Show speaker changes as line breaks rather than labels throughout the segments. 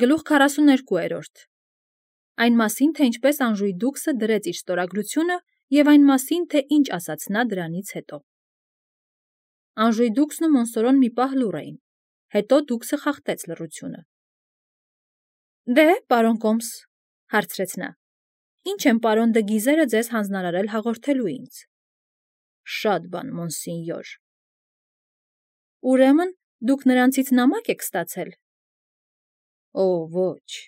Գլուխ 42 Այն մասին, թե ինչպես Անժուի դուքսը դրեց իր ստորագրությունը և այն մասին, թե ինչ ասաց նա դրանից հետո։ Անժուի դուքսն ու Մոնսորոն մի պահ լուռ էին, հետո դուքսը խախտեց լռությունը։ Դե, պարոն Կոմս, հարցրեց նա, ինչ են պարոն դը Գիզերը ձեզ հանձնարարել հաղորդելու ինձ։ Շատ բան, մոնսինյոր։ Ուրեմն, դուք նրանցից նամակ եք ստացել։ Օ, ոչ։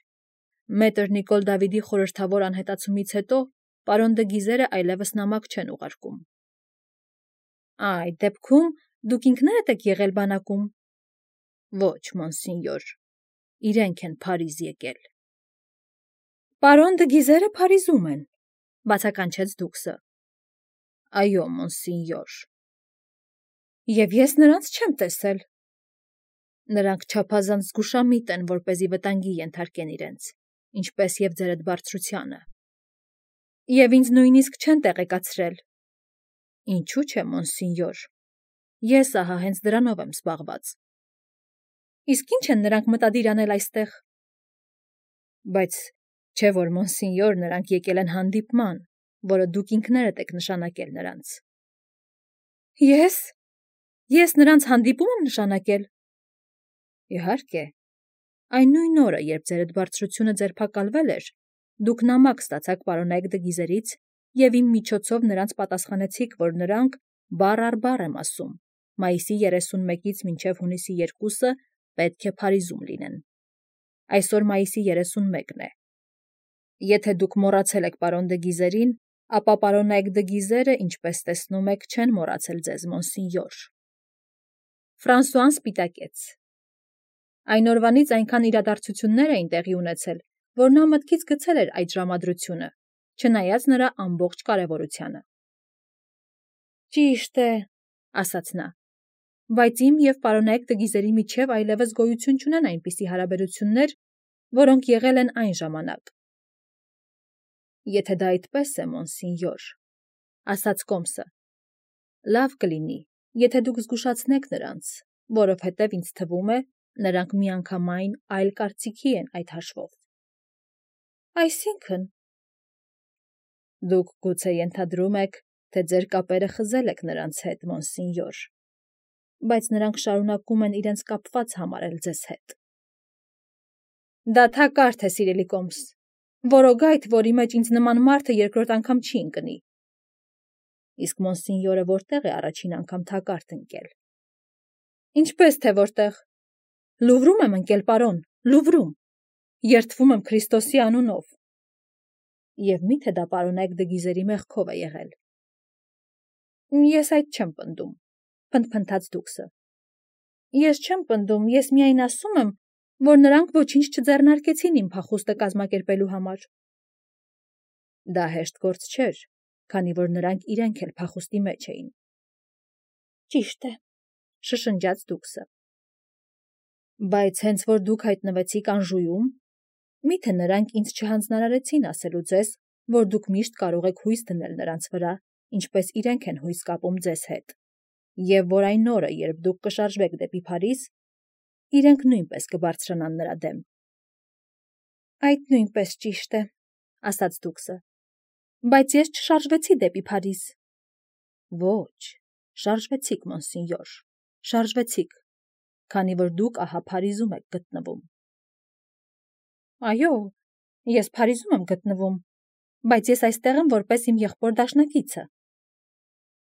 Մետր Նիկոլ Դավիդի խորհրդավոր անհետացումից հետո պարոն դը Գիզերը այլևս նամակ չեն ուղարկում։ Այդ դեպքում դուք ինքներդ եք եղել բանակում։ Ոչ, մոնսինյոր, իրենք են Փարիզ եկել։ Պարոն դը Գիզերը Փարիզում են, բացականչեց դուքսը։ Այո, մոնսինյոր։ Եվ ես նրանց չեմ տեսել։ Նրանք չափազանց զգուշամիտ են, որպեսզի վտանգի ենթարկեն իրենց, ինչպես և ձերդ բարձրությանը։ Եվ ինձ նույնիսկ չեն տեղեկացրել։ Ինչու՞ չէ, մոնսինյոր։ Ես ահա հենց դրանով եմ զբաղված։ Իսկ ի՞նչ են նրանք մտադիր անել այստեղ։ Բայց չէ՞ որ, մոնսինյոր, նրանք եկել են հանդիպման, որը դուք ինքներդ եք նշանակել նրանց։ Ես նրանց հանդիպում եմ նշանակել։ Իհարկե, այն նույն օրը, երբ ձերդ բարձրությունը ձերբակալվել էր, դուք նամակ ստացաք պարոնայք դը Գիզերից և իմ միջոցով նրանց պատասխանեցիք, որ նրանք, բառ առ բառ եմ ասում, մայիսի 31-ից մինչև հունիսի 2-ը պետք է Փարիզում լինեն։ Այսօր մայիսի 31-ն է։ Եթե դուք մոռացել եք պարոն դը Գիզերին, ապա պարոնայք դը Գիզերը, ինչպես տեսնում եք, չեն մոռացել ձեզ, մոնսինյոր։ Ֆրանսուան սպիտակեց։ Այն օրվանից այնքան իրադարձություններ էին տեղի ունեցել, որ նա մտքից գցել էր այդ ժամադրությունը, չնայած նրա ամբողջ կարևորությանը։ Ճիշտ է, ասաց նա, բայց իմ և պարոնայք դը Գիզերի միջև այլևս գոյություն չունեն այնպիսի հարաբերություններ, որոնք եղել են այն ժամանակ։ Եթե դա այդպես է, մոնսինյոր, ասաց Կոմսը, լավ կլինի, եթե դուք զգուշացնեք նրանց, որովհետև ինձ թվում է, նրանք միանգամայն այլ կարծիքի են այդ հաշվով։ Այսինքն… Դուք գուցե ենթադրում եք, թե ձեր կապերը խզել եք նրանց հետ, մոնսինյոր, բայց նրանք շարունակում են իրենց կապված համարել ձեզ հետ։ Դա թակարդ է, սիրելի Կոմս, որոգայթ, որի մեջ ինձ նման մարդը երկրորդ անգամ չի ընկնի։ Իսկ մոնսինյորը որտեղ է առաջին անգամ թակարդ ընկել։ Ինչպես թե որտեղ։ Լուվրում եմ ընկել, պարոն, Լուվրում։ Երդվում եմ Քրիստոսի անունով։ Եվ միթե դա պարոնայք դը Գիզերի մեղքով է եղել։ Ես այդ չեմ պնդում, փնթփնթաց դուքսը։ Ես չեմ պնդում, ես միայն ասում եմ, որ նրանք ոչինչ չձեռնարկեցին իմ փախուստը կազմակերպելու համար։ Դա հեշտ գործ չէր, քանի որ նրանք իրենք էլ փախուստի մեջ էին։ Ճիշտ է, շշնջաց դուքսը։ Բայց հենց որ դուք հայտնվեցիք Անժուում, միթե նրանք ինձ չհանձնարարեցին ասելու ձեզ, որ դուք միշտ կարող եք հույս դնել նրանց վրա, ինչպես իրենք են հույս կապում ձեզ հետ, և որ այն օրը, երբ դուք կշարժվեք դեպի Փարիզ, իրենք նույնպես կբարձրանան նրա դեմ։ Այդ նույնպես ճիշտ է, ասաց դուքսը, բայց ես չշարժվեցի դեպի Փարիզ։ Ոչ, շարժվեցիք, մոնսինյոր, շարժվեցիք, քանի որ դուք ահա Փարիզում եք գտնվում։ Այո, ես Փարիզում եմ գտնվում, բայց ես այստեղ եմ որպես իմ եղբոր դաշնակիցը։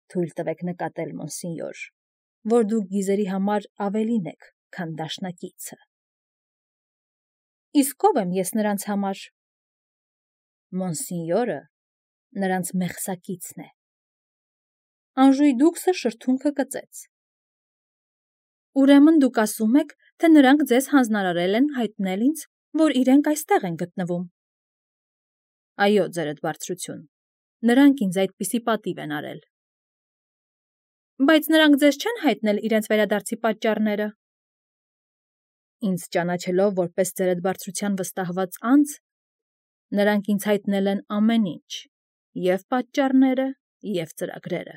Թույլ տվեք նկատել, մոնսինյոր, որ դուք Գիզերի համար ավելին եք, քան դաշնակիցը։ Իսկ ով եմ ես նրանց համար։ Մոնսինյորը նրանց մեղսակիցն է։ Անժուի դուքսը շրթունքը կծեց։ Ուրեմն դուք ասում եք, թե նրանք ձեզ հանձնարարել են հայտնել ինձ, որ իրենք այստեղ են գտնվում։ Այո, ձերդ բարձրություն, նրանք ինձ այդպիսի պատիվ են արել։ Բայց նրանք ձեզ չեն հայտնել իրենց վերադարձի պատճառները։ Ինձ ճանաչելով որպես ձերդ բարձրության վստահված անձ, նրանք ինձ հայտնել են ամեն ինչ, և պատճառները, և ծրագրերը։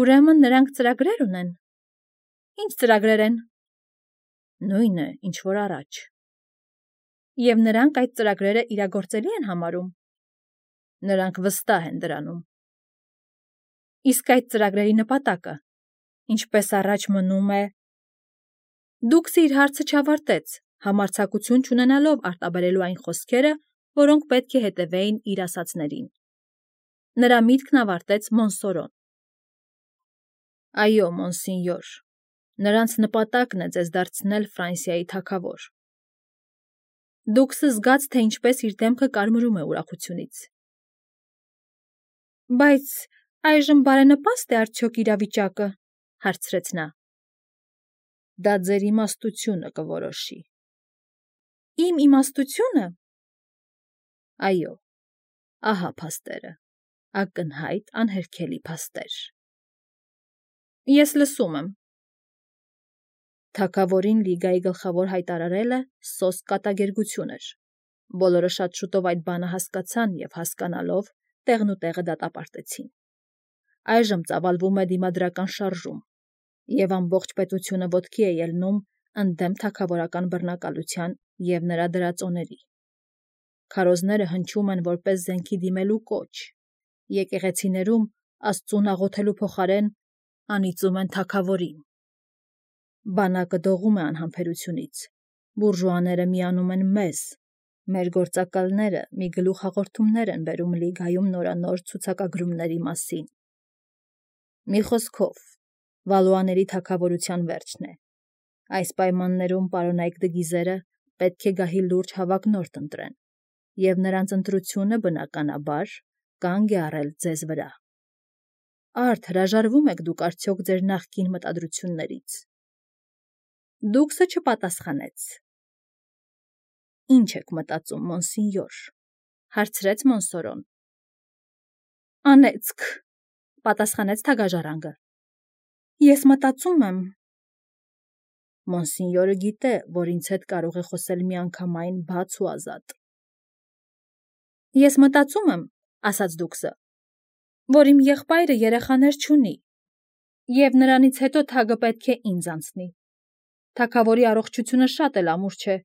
Ուրեմն նրանք ծրագրեր ունեն։ Ինչ ծրագրեր են։ Նույնը, ինչ որ առաջ, Եվ նրանք այդ ծրագրերը իրագործելի են համարում։ Նրանք վստահ են դրանում։ Իսկ այդ ծրագրերի նպատակը, ինչպես առաջ մնում է, Դուքսը իր հարցը չավարտեց, համարձակություն չունենալով արտաբերելու այն խոսքերը, որոնք պետք է հետևեին իր ասածներին։ Նրա միտքն ավարտեց Մոնսորոն։ Այո, մոնսինյոր, նրանց նպատակն է ձեզ դարձնել Ֆրանսիայի թագավոր։ Դուքսը զգաց, թե ինչպես իր դեմքը կարմրում է ուրախությունից։ Բայց այժմ բարենպաստ է արդյոք իրավիճակը, հարցրեց նա։ Դա ձեր իմաստությունը կորոշի։ Իմ իմաստությունը։ Այո, ահա փաստերը, ակնհայտ անհերքելի փաստեր։ Ես լսում եմ։ Թագավորին Լիգայի գլխավոր հայտարարելը սոսկ կատակերգություն էր։ Բոլորը շատ շուտով այդ բանը հասկացան և հասկանալով տեղն ու տեղը դատապարտեցին։ Այժմ ծավալվում է դիմադրական շարժում, և ամբողջ պետությունը ոտքի է ելնում ընդդեմ թագավորական բռնակալության և նրա դրածոների։ Քարոզները հնչում են որպես զենքի դիմելու կոչ, եկեղեցիներում Աստծուն աղոթելու փոխարեն անիծում են թագավորին։ Բանակը դողում է անհամբերությունից, բուրժուաները միանում են մեզ, մեր գործակալները մի գլուխ հաղորդումներ են բերում Լիգայում նորանոր ցուցակագրումների մասին։ Մի խոսքով, Վալուաների թագավորության վերջն է։ Այս պայմաններում պարոնայք դգիզերը պետք է գահի լուրջ հավակնորդ ընտրեն, և նրանց ընտրությունը բնականաբար կանգ է առել ձեզ վրա։ Արդ հրաժարվում եք դուք արդյոք ձեր նախկին մտադրություններից։ Դուքսը չպատասխանեց։ Ինչ եք մտածում, մոնսինյոր, հարցրեց Մոնսորոն։ Անեծք, պատասխանեց թագաժառանգը։ Ես մտածում եմ։ Մոնսինյորը գիտե, որ ինձ հետ կարող է խոսել միանգամայն բաց ու ազատ։ Ես մտածում եմ, ասաց Դուքսը, որ իմ եղբայրը երեխաներ չունի, և նրանից հետո թագը պետք է ինձ անցնի։ Թագավորի առողջությունը շատ էլ ամուր չէ։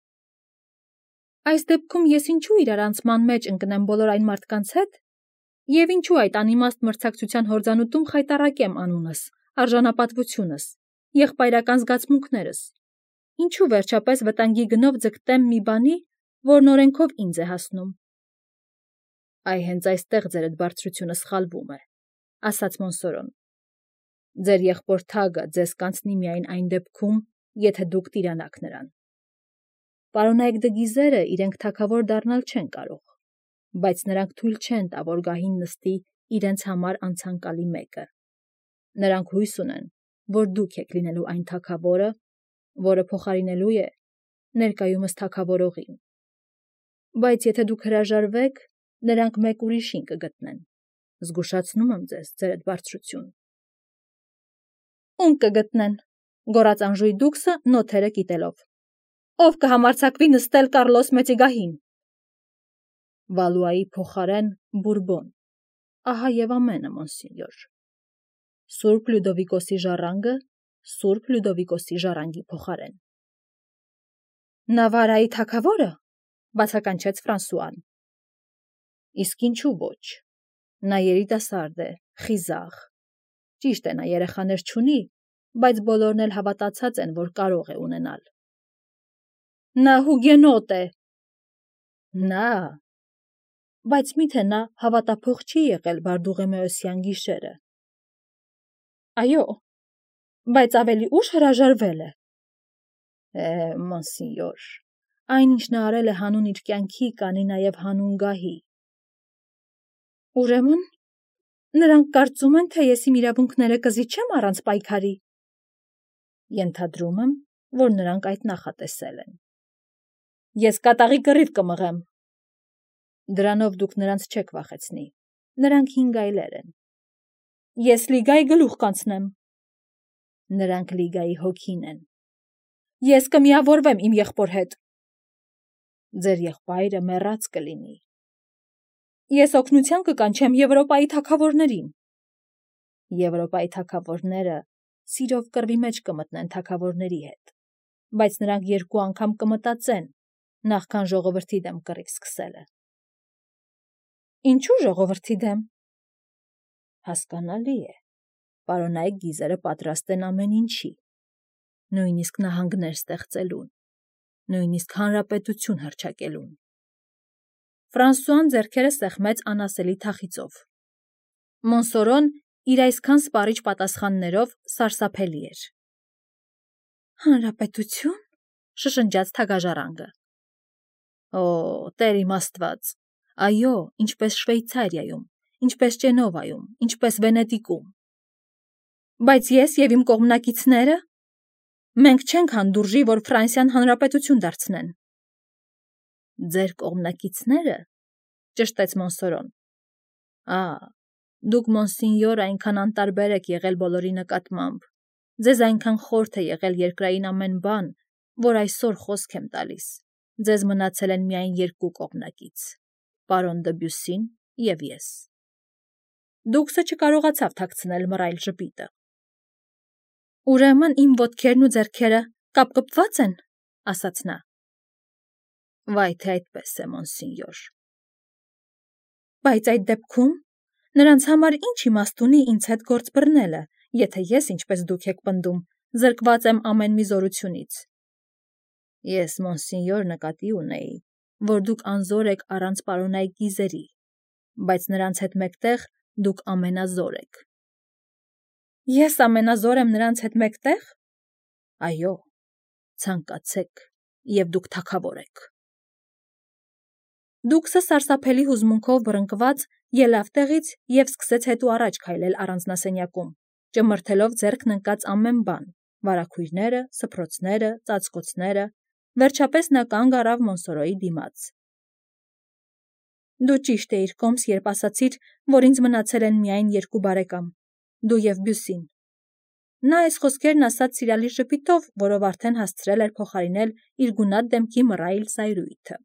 Այս դեպքում ես ինչու իրարանցման մեջ ընկնեմ բոլոր այն մարդկանց հետ, և ինչու այդ անիմաստ մրցակցության հորձանուտում խայտառակեմ անունս, արժանապատվությունս, եղբայրական զգացմունքներս, ինչու վերջապես վտանգի գնով ձգտեմ մի բանի, որն օրենքով ինձ է հասնում։ Այ հենց այստեղ ձերդ բարձրությունը սխալվում է, ասաց Մոնսորոն։ Ձեր եղբոր թագը ձեզ կանցնի միայն այն դեպքում, եթե դուք տիրանաք նրան։ Պարոնայք դգիզերը իրենք թագավոր դառնալ չեն կարող, բայց նրանք թույլ չեն տա, որ գահին նստի իրենց համար անցանկալի մեկը։ Նրանք հույս ունեն, որ դուք եք լինելու այն թագավորը, որը փոխարինելու է ներկայումս թագավորողին։ Բայց եթե դուք հրաժարվեք, նրանք մեկ ուրիշին կգտնեն։ Զգուշացնում եմ ձեզ, ձերդ բարձրություն։ Ում կգտնեն, գոռաց անժույգ Դուքսը նոթերը կիտելով։ Ով կհամարձակվի նստել Կարլոս մեծի գահին։ Վալուայի փոխարեն Բուրբոն։ Ահա և ամենը, մոնսինյոր։ Սուրբ Լյուդովիկոսի ժառանգը Սուրբ Լյուդովիկոսի ժառանգի փոխարեն։ Նավարայի թագավորը, բացականչեց Ֆրանսուան։ Իսկ ինչու ոչ։ Նա երիտասարդ է, խիզախ։ Ճիշտ է, նա երեխաներ չունի, բայց բոլորն էլ հավատացած են, որ կարող է ունենալ։ Նա հուգենոտ է։ Նա։ Բայց միթե նա հավատափող չի եղել Բարդուղիմեոսյան գիշերը։ Այո, բայց ավելի ուշ հրաժարվել է։ Մոնսինյոր, այն ինչ նա արել է հանուն իր կյանքի, կանի նաև հանուն գահի։ Ուրեմն, նրանք կարծում են, թե ես իմ իրավունքները կզիջեմ առանց պայքարի։ Ենթադրում եմ, որ նրանք այդ նախատեսել են։ Ես կատաղի կռիվ կմղեմ։ Դրանով դուք նրանց չեք վախեցնի։ Նրանք 5 այլեր են։ Ես Լիգայի գլուխ կանցնեմ։ Նրանք Լիգայի հոգին են։ Ես կմիավորվեմ իմ եղբոր հետ։ Ձեր եղբայրը մեռած կլինի։ Ես օգնության կկանչեմ Եվրոպայի թագավորներին։ Եվրոպայի թագավորները սիրով կռվի մեջ կմտնեն թագավորների հետ, բայց նրանք 2 անգամ կմտածեն, նախքան ժողովրդի դեմ կռիվ սկսելը։ Ինչու ժողովրդի դեմ։ Հասկանալի է, պարոնայք գիզերը պատրաստ են ամեն ինչի, նույնիսկ նահանգներ ստեղծելուն, նույնիսկ հանրապետություն հռչակելուն։ Ֆրանսուան ձեռքերը սեղմեց անասելի թախիծով։ Մոնսորոն իր այսքան սպառիչ պատասխաններով սարսափելի էր։ Հանրապետություն, շշնջաց թագաժառանգը։ Օ, Տեր իմ Աստված, այո, ինչպես Շվեյցարիայում, ինչպես Ճենովայում, ինչպես Վենետիկում։ Բայց ես և իմ կողմնակիցները։ Մենք չենք հանդուրժի, որ Ֆրանսիան հանրապետություն դարձնեն։ Ձեր կողմնակիցները, ճշտեց Մոնսորոն։ Դուք մոնսինյոր այնքան անտարբեր եք եղել բոլորի նկատմամբ, ձեզ այնքան խորթ է եղել երկրային ամեն բան, որ այսօր խոսք եմ տալիս, ձեզ մնացել են միայն երկու կողմնակից, պարոն Դբյուսին և ես։ Դուքսը չկարողացավ թաքցնել մռայլ ժպիտը։ Ուրեմն իմ ոտքերն ու ձեռքերը կապկպված են, ասաց նա։ Վայ թե այդպես է, մոնսինյոր։ Բայց այդ դեպքում նրանց համար ինչ իմաստ ունի ինձ հետ գործ բռնելը, եթե ես, ինչպես դուք եք պնդում, զրկված եմ ամեն մի զորությունից։ Ես, մոնսինյոր, նկատի ունեի, որ դուք անզոր եք առանց պարոնայք գիզերի, բայց նրանց հետ մեկտեղ դուք ամենազոր եք։ Ես ամենազոր եմ նրանց հետ մեկտեղ։ Այո, ցանկացեք, և դուք թագավոր եք։ Դուքսը սարսափելի հուզմունքով բռնկված ելավ տեղից և սկսեց հետո առաջ քայլել առանձնասենյակում, ճմրթելով ձեռքն ընկած ամեն բան, վարագույրները, սփռոցները, ծածկոցները, վերջապես նա կանգ առավ Մոնսորոյի դիմաց։ Դու ճիշտ էիր, Կոմս, երբ ասացիր, որ ինձ մնացել են միայն երկու բարեկամ՝ դու և Բյուսին։ Նա այս խոսքերն ասաց սիրալիր ժպիտով, որով արդեն հասցրել էր փոխարինել իր գունատ դեմքի մռայլ զայրույթը։